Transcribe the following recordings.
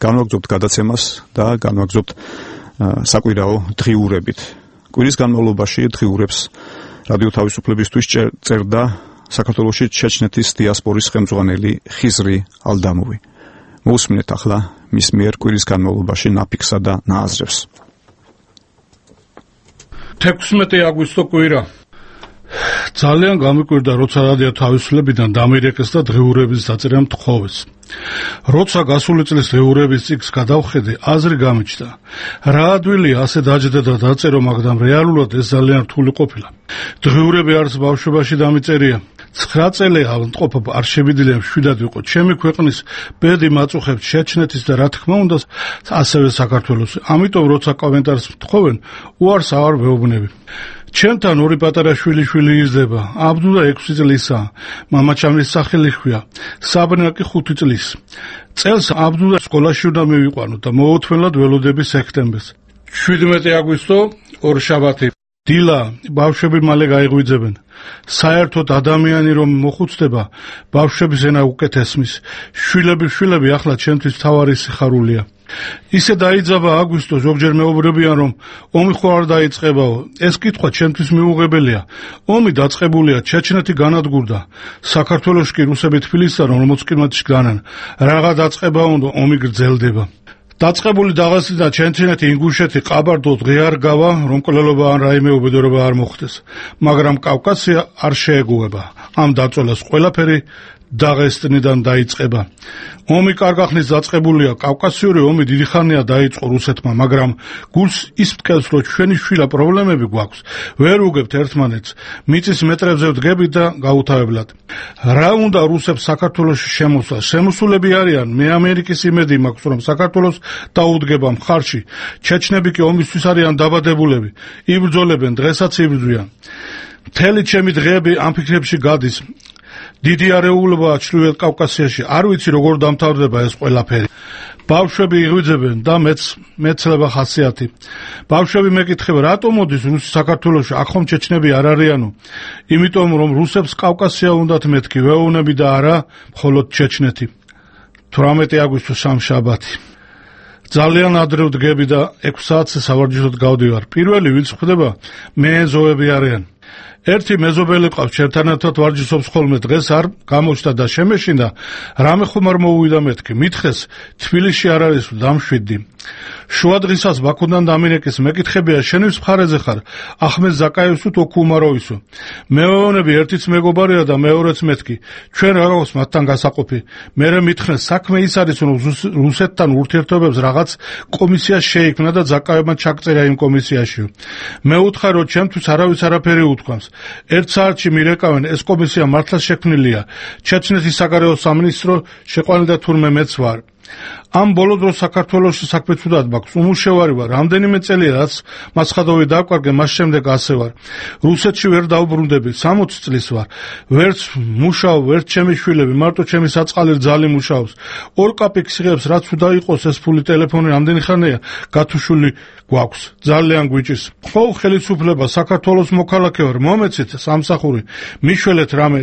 განვაგრძობთ გადაცემას და განვაგრძობთ საკვირაო დღიურებით. კვირის განმავლობაში დღიურებს რადიო თავისუფლებისთვის წერდა საქართველოში ჩეჩნეთის დიასპორის ხელმძღვანელი ხიზრი ალდამოვი. მოусმინეთ ახლა მის მიერ კვირის განმავლობაში ნაფიქსა და ნააზრევს. 16 აგვისტო კვირა. ძალიან გამიკვირდა, როცა რადიო თავისუფლებიდან დამირეკეს და დღიურების დაწერა მთხოვეს. როცა გასული წლის დღიურების წიგნს გადავხედე, აზრი გამიჩნდა. რა ადვილია ასე დაჯდა და დაწერო, მაგრამ რეალურად ეს ძალიან რთული ყოფილა. დღიურები არც ბავშვობაში დამიწერია. 9 წელი ავადმყოფობა არ შევიდნენ, 7 ვიყო. ჩემი ქვეყნის ბედი მაწუხებს ჩეჩნეთის და რა თქმა უნდა ასევე საქართველოს. ამიტომ როცა კომენტარს მთხოვენ, უარს აღარ ვეუბნები. ჩემთან ორი პატარა შვილი იზრდება. აბდულა 6 წლისაა. მამაჩამის სახელი ხვია. საბრინა კი 5 წლის. წელს აბდულა სკოლაში უნდა მივიყვანო და მოუთმენლად ველოდები სექტემბერს. 17 აგვისტო ორშაბათი. დილა, ბავშვები მალე გაიღვიძებენ. საერთოდ ადამიანი რომ მოხუცდება, ბავშვების ენა უკეთესმის. შვილები ახლა ჩემთვის მთავარი სიხარულია. ისე დაიძაბა აგვისტო, ზოგჯერ მეუბნებიან, რომ ომი ხო არ დაიწყებაო. ეს კითხვა ჩემთვის მიუღებელია. ომი დაწყებულია, ჩეჩნეთი განადგურდა. საქართველოში კი რუსები თბილისთან 40 კილომეტრში განან. რაღა დაწყება უნდა, ომი გრძელდება. დაწყებული დაღესტანი და ჩეჩნეთი, ინგუშეთი, ყაბარდო დღეარ გავა, რომ კვლელობა ან რაიმე უბედურება არ მოხდეს. მაგრამ კავკასია არ შეეგუება. ამ დაწოლას ყველაფერი დაღესტნიდან დაიწყება. ომი კარგ ახნის დაწყებულია. კავკასიური ომი დიდი ხანია დაიწყო რუსეთმა, მაგრამ გულს ის მტკევს, რომ ჩვენი შვილა პრობლემები გვაქვს. ვერ უგებთ ერთმანეთს. მიწის მეტრებზე ვდგებით და გაუთავებლად. რა უნდა რუსებს საქართველოში შემოსვლა? შემოსულები არიან. მე ამერიკის იმედი მაქვს, რომ საქართველოს დაუდგება მხარში. ჩეჩნები კი ომისთვის არიან დაბადებულები. იბრძოლებენ, დღესაც იბრძვიან. მთელი ჩემი დღეები ამ ფიქრებში გადის. დიდი არეულობაა ჩრდილოეთ კავკასიაში. არ ვიცი როგორ დამთავრდება ეს ყველაფერი. ბავშვები იღვიძებენ და მეცლება ხასიათი. ბავშვები მეკითხება, რატომ მოდის რუსი საქართველოში, აქ ხომ ჩეჩნები არ არიანო? იმიტომ რომ რუსებს კავკასია უნდათ მეთქი, ვეოვნები და არა მხოლოდ ჩეჩნეთი. 18 აგვისტო სამშაბათი. ძალიან ადრე ვდგები და 6 საათზე სავარჯიშოდ გავდივარ. პირველი ვინც ხვდება, მეზოები არიან. ერთი მეზობელი ყავს, ჩემთან ერთად ვარჯიშობს ხოლმე. დღეს არ გამოჩნდა და შემეშინდა, რამე ხომ არ მოუვიდა მეთქი. მითხეს, თბილისში არ არის, დამშვიდდი. შუა დღისას ბაქოდან დამინეკეს, მეკითხებია, შენთვის მხარეზე ხარ? ახმედ ზაკაევსო თუ კუმაროვისო? მეეონები, ერთიც მეგობარია და მეორეც მეთქი. ჩვენ რა გვაქვს მათთან გასაყოფი? მერე მითხეს, საქმე ის არის, რომ რუსეთთან ურთიერთობებს რაღაც კომისია შეიქმნა და ზაკაევმა ჩაგწერა იმ კომისიაში. მე უთხარ, რომ ჩემთვის არავის არაფერი უთქვამს. ერთ საათში მირეკავენ, ეს კომისია მართლა შექმნილია. ჩეჩნეთის საგარეო სამინისტრო შეყვანილდა თურმე მეც ვარ. ამ ბოლო დროს საქართველოში საქმე ცუდად მაქვს. უმუშევარი ვარ. რამდენიმე წელია რაც მასხადოვი დავკარგე, მას შემდეგ ასე ვარ. რუსეთში ვერ დავბრუნდები. 60 წლის ვარ. ვერც მუშაობ, ვერც ჩემი შვილები, მარტო ჩემი საწყალი რძალი მუშაობს. ორ კაპიკს იღებს, რაც უნდა იყოს ეს ფული. ტელეფონი რამდენი ხანია გათუშვილი გვაქვს. ძალიან გვიჭირს. ხო, ხელისუფლება, საქართველოს მოქალაქე ვარ. მომეცით სამსახური. მიშველეთ რამე.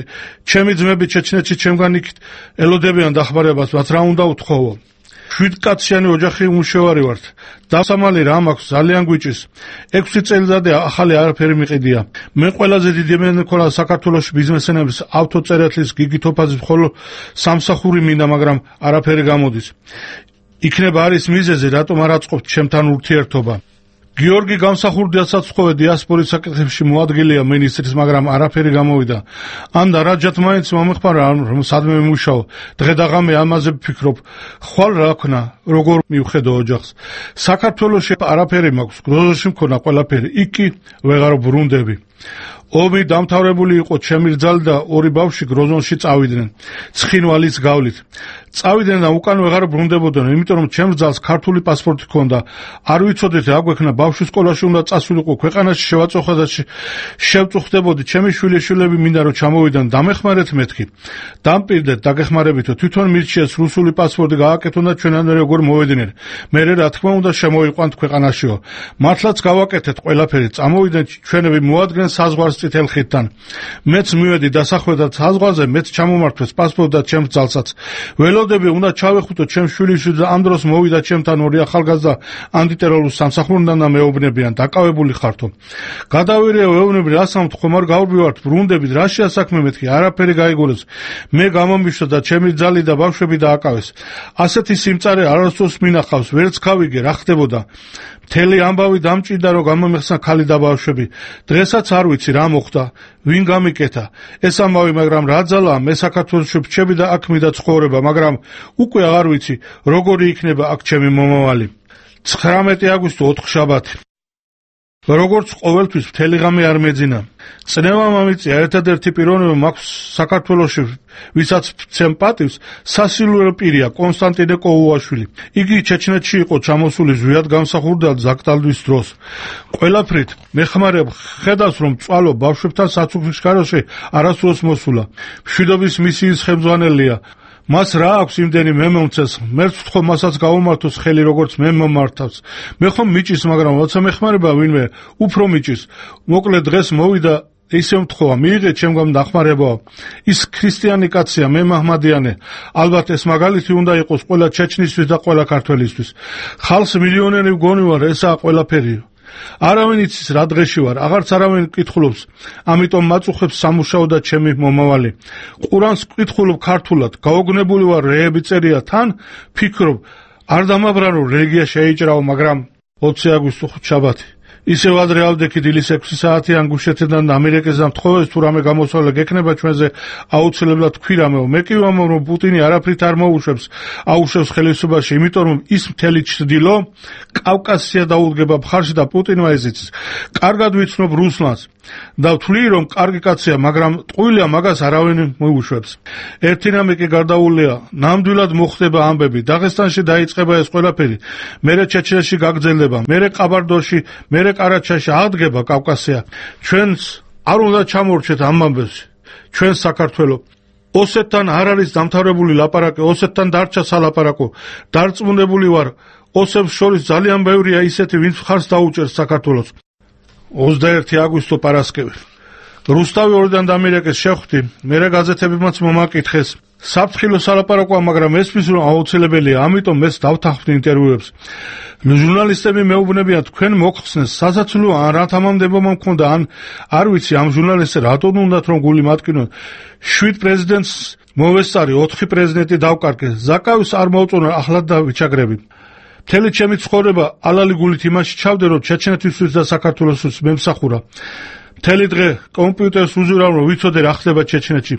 ჩემი ძმები ჩეჩნეთში ჩემგან იქით ელოდებიან დახმარებას, მათ რა უნდა უთხოვო? 7 კაციანი ოჯახი უმუშევარი ვართ. დასამალი რა მაქვს, ძალიან გვიჭირს. 6 წელიწადი ახალი არაფერი მიყიდია. მე ყველაზე დიდი მენქოლა საქართველოში ბიზნესმენების ავტოწერეთლის გიგი თოფაძის ხოლო სამსახური მინდა, მაგრამ არაფერი გამოდის. იქნება არის მიზეზი, რატომ არ აწყობთ ჩემთან ურთიერთობა. გიორგი გამსახურდიასაც ხოვე დიასპორის საკითხებში მოადგილეა მინისტრის, მაგრამ არაფერი გამოვიდა. ანდა რაჯათ მაინც მომეხმარა, რომ სადმე მუშაო. დღე და ღამე ამაზე ვფიქრობ. ხვალ რა ქნა, როგორ მივხედო ოჯახს. საქართველოში არაფერი მაქვს, გროზოში მქონა ყველაფერი. იქი ვეღარ ბრუნდები. ომი დამთავრებული იყო, ჩემი რძალი და ორი ბავშვი გროზონში წავიდნენ. ცხინვალის გავლით. წავიდნენ და უკან ვეღარ ბრუნდებოდნენ, იმიტომ რომ ჩემს რძალს ქართული პასპორტი ჰქონდა. არ ვიცოდით რა გვექნა, ბავშვი სკოლაში უნდა წასულიყო, ქვეყანაში შევაწუხა და შევწუხდებოდი. ჩემი შვილები მინდა რომ ჩამოვიდნენ, დამეხმარეთ მეთქი. დამპირდეთ, დაგეხმარებითო, თვითონ მირჩიეს რუსული პასპორტი გააკეთონ და ჩვენამდე როგორ მოვედინენ. მერე რა თქმა უნდა შემოიყვანთ ქვეყანაშიო. მართლაც გავაკეთეთ ყველაფერი, წამოვიდნენ ჩვენები, მოადგნენ საზღვარს წითელ ხიდთან. მეც მივედი დასახვედად საზღვარზე, მეც ჩამომართვეს პასპორტი და ჩემს ძალსაც. ველოდები უნდა ჩავეხუტო ჩემ შვილიშვილი და ამ დროს მოვიდა ჩემთან ორი ახალგაზრდა ანტიტერორისტ სამსახურიდან და მეუბნებიან დაკავებული ხართო. გადავირეო ეუბნები რას ამთ ხომ არ გავბივართ ბრუნდებით რა შეასაქმე მეთქი არაფერი გაიგონეს მე გამომიშვა და ჩემი ძალი და ბავშვები დააკავეს. ასეთი სიმწარე არასდროს მინახავს ვერც გავიგე რა ხდებოდა. მთელი ამბავი დამჭირდა რომ გამომეხსნა ქალი და ბავშვები. დღესაც არ ვიცი რა მოხდა, ვინ გამიკეთა. ეს ამბავი, მაგრამ რა ძალაა, მე საქართველოში ვრჩები და აქ მიდა ცხოვრება, მაგრამ უკვე აღარ ვიცი, როგორი იქნება აქ ჩემი მომავალი. 19 აგვისტო 4 შაბათი. როგორც ყოველთვის მთელი ღამე არ მეძინა. წნევა მომიწია ერთადერთი პიროვნება მაქვს საქართველოში, ვისაც ვცემ პატივს, სასილურო პირია კონსტანტინე კოუაშვილი. იგი ჩეჩნეთში იყო ჩამოსული ზვიად გამსახურდა ზაკტალვის დროს. ყველაფრით მეხმარებ ხედავს რომ წვალო ბავშვებთან საცუქისქაროში არასდროს მოსულა. მშვიდობის მისიის ხელმძღვანელია. მას რა აქვს იმდენი მე მომწეს, მერც ვთხოვ მასაც გაუმართოს ხელი როგორც მე მომართავს. მე ხომ მიჭის, მაგრამ როცა მეხმარება ვინმე, უფრო მიჭის. მოკლედ დღეს მოვიდა ისე მთხოვა, მიიღე ჩემგან დახმარება. ის ქრისტიანი კაცია, მე მაჰმადიანე. ალბათ ეს მაგალითი უნდა იყოს ყველა ჩეჩნისთვის და ყველა ქართველისთვის. ხალხს მილიონერი ვგონივარ, ესაა ყველაფერი. არავინ იცის რა დღეში ვარ, აღარც არავინ კითხულობს, ამიტომ მაწუხებს სამუშაო და ჩემი მომავალი. ყურანს კითხულობ ქართულად, გაოგნებული ვარ რეები წერია, თან ფიქრობ, არ დამაბრანო რელიგია შეიჭრაო, მაგრამ 20 აგვისტო შაბათი. ისევ ადრე ავდექი დილის 6 საათიან გუშეთიდან ამერიკაზე მთხოვეს თუ რამე გამოსვლა გექნება ჩვენზე აუცილებლად თქვი რამეო. მე კი ვამბობ რომ პუტინი არაფრით არ აუშვებს ხელისუფლებაში, იმიტომ რომ ის მთელი ჩრდილო კავკასია დაუდგება მხარში და პუტინმა ეზიცის. კარგად ვიცნობ რუსლანს და ვთვლი რომ კარგი კაცია, მაგრამ ტყუილია მაგას არავინ მოუშვებს. ერთი რამე კი გარდაუულია, ნამდვილად მოხდება ამბები. დაღესტანში დაიწყება ეს ყველაფერი, მერე ჩეჩნეთში გაგრძელდება, მერე ყაბარდოში, მერე კარაჩაში აღდგება კავკასია. ჩვენს არ უნდა ჩამორჩეთ ამ ამბებში. ჩვენ საქართველო ოსეთთან არ არის დამთავრებული ლაპარაკი, ოსეთთან დარჩა სალაპარაკო. დარწმუნებული ვარ, ოსებს შორის ძალიან ბევრია ისეთი, ვინც მხარს დაუჭერს საქართველოს. 21 აგვისტო პარასკევი. რუსთავი ორიდან დამირეკეს შეხვდი, მერე გაზეთებმაც მომაკითხეს. საფრთხილო სალაპარაკოა, მაგრამ ესმის რომ აუცილებელია, ამიტომ მეც დავთანხმდი ინტერვიუებს. ჟურნალისტები მეუბნებიან თქვენ მოხსნეს სასაცილო ან რა თამამდებობა მქონდა, ან არ ვიცი ამ ჟურნალისტებს რატომ უნდათ რომ გული მატკინონ. 7 პრეზიდენტს მოვესწარი, 4 პრეზიდენტი დავკარგე. ზაკავის არ მოუწონა ახლად და ვიჩაგრები. მთელი ჩემი ცხოვრება ალალი გულით იმაში ჩავდე, რომ ჩეჩნეთისთვის და საქართველოსთვის მემსახურა. მთელი დღე კომპიუტერს უზურავ, რომ ვიცოდე რა ხდება ჩეჩნეთში.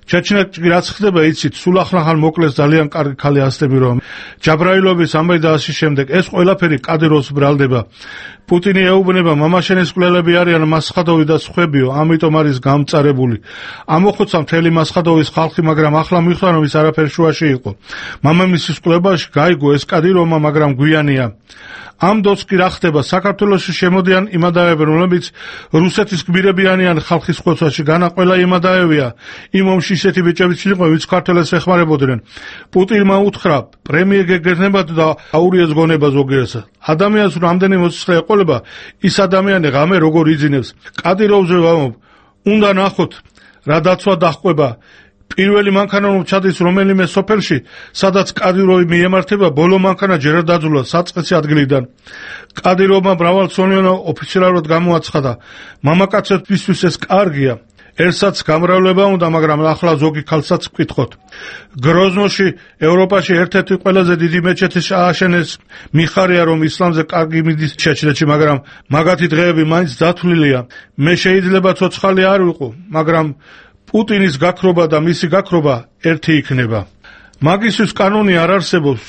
ჩეჩნეთში რაც ხდება იცით, სულ ახლა მოკლეს ძალიან კარგი ქალი ასტები რომ ჯაბრაილოვის ამბავი და ასე შემდეგ. ეს ყველაფერი კადიროს ბრალდება. პუტინი ეუბნება, მამაშენის კვლელები არიან მასხადოვი და სხვებიო, ამიტომ არის გამწარებული. ამოხოცა მთელი მასხადოვის ხალხი, მაგრამ ახლა მიხვდა რომ ის არაფერ შუაში იყო. მამამისის კვლევაში გაიგო ეს კადირომა, მაგრამ გვიანია. ამ დროს კი რა ხდება, საქართველოში შემოდიან იმადაები, რომლებიც რუსეთის გმირებიანიან ხალხის ხოცვაში, განა ყველა იმადაებია. იმ ომში ისეთი ბიჭებიც იყო, ვინც ქართველებს ეხმარებოდნენ. პუტინმა უთხრა, პრემიერ გეგრძნებათ და აურიეს გონება ზოგიერთს. ადამიანს რამდენი მოსისხლე ეყოლება, ის ადამიანი ღამე როგორ იძინებს. კადიროვზე ვამბობ, უნდა ნახოთ, რა დაცვა დაჰყვება. პირველი მანქანა რომ ჩადის რომელიმე სოფელში, სადაც კადიროვი მიემართება, ბოლო მანქანა ჯერ დაძულა საწყისი ადგილიდან. კადიროვმა მრავალწლიანი ოფიციალურად გამოაცხადა, მამაკაცებისთვის ეს კარგია. ერთსაც გამრავლება უნდა, მაგრამ ახლა ზოგი ქალსაც ვკითხოთ. გროზნოში, ევროპაში ერთ-ერთი ყველაზე დიდი მეჩეთი ააშენეს. მიხარია რომ ისლამზე კარგი მიდის ჩეჩნეთში, მაგრამ მაგათი დღეები მაინც დათვლილია. მე შეიძლება ცოცხალი არ ვიყო, მაგრამ პუტინის გაქრობა და მისი გაქრობა ერთი იქნება. მაგისთვის კანონი არ არსებობს,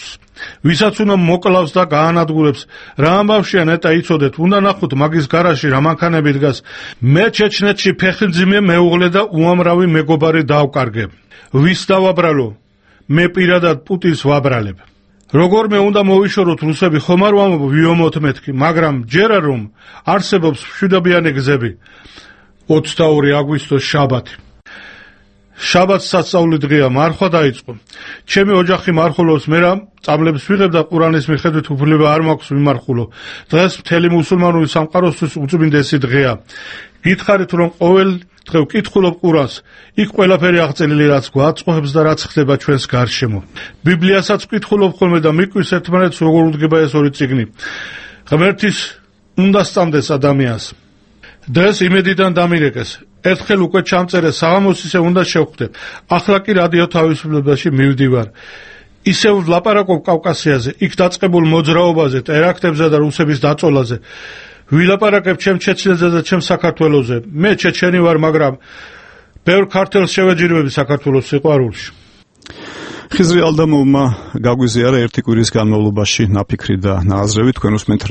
ვისაც უნდა მოკლავს და გაანადგურებს. რა ამბავშია ნეტა იცოდეთ, უნდა ნახოთ მაგის გარაში რა მანქანები დგას. მე ჩეჩნეთში ფეხმძიმე მეუღლე და უამრავი მეგობარი დავკარგე. ვის დავაბრალო? მე პირადად პუტინს ვაბრალებ. როგორმე უნდა მოვიშოროთ რუსები, ხომ არ ვამბობ ვიომოთ მეთქი, მაგრამ ჯერა რომ არსებობს მშვიდობიანი გზები. 22 აგვისტო შაბათი. შაბათს სასწაული დღეა, მარხვა დაიწყო. ჩემი ოჯახი მარხულობს, მე რა წამლებს ვიღებ და ყურანის მიხედვით უფლება არ მაქვს ვიმარხულო. დღეს მთელი მუსულმანური სამყაროსთვის უწმინდესი დღეა. გითხარით რომ ყოველ დღე ვკითხულობ ყურანს, იქ ყველაფერი აღწერილი რაც გვაწყობს და რაც ხდება ჩვენს გარშემო. ბიბლიასაც ვკითხულობ ხოლმე და მიკვის ერთმანეთს როგორ უდგება ეს ორი წიგნი. ღმერთის უნდა სწამდეს ადამიანს. დღეს იმედიდან დამირეკეს. ერთხელ უკვე ჩამწერე საღამოს ისე უნდა შევხვდე. ახლა კი რადიო თავისუფლებაში მივდივარ. ისევ ვლაპარაკობ კავკასიაზე, იქ დაწყებულ მოძრაობაზე, ტერაქტებზე და რუსების დაწოლაზე. ვილაპარაკებ ჩემ ჩეჩნეთზე და ჩემ საქართველოზე. მე ჩეჩენი ვარ, მაგრამ ბევრ ქართველს შევეჯირვები საქართველოს სიყვარულში. ხიზრი ალდამოვმა გაგვიზიარა ერთი კვირის განმავლობაში ნაფიქრი და ნააზრევი თქვენ უსმენთ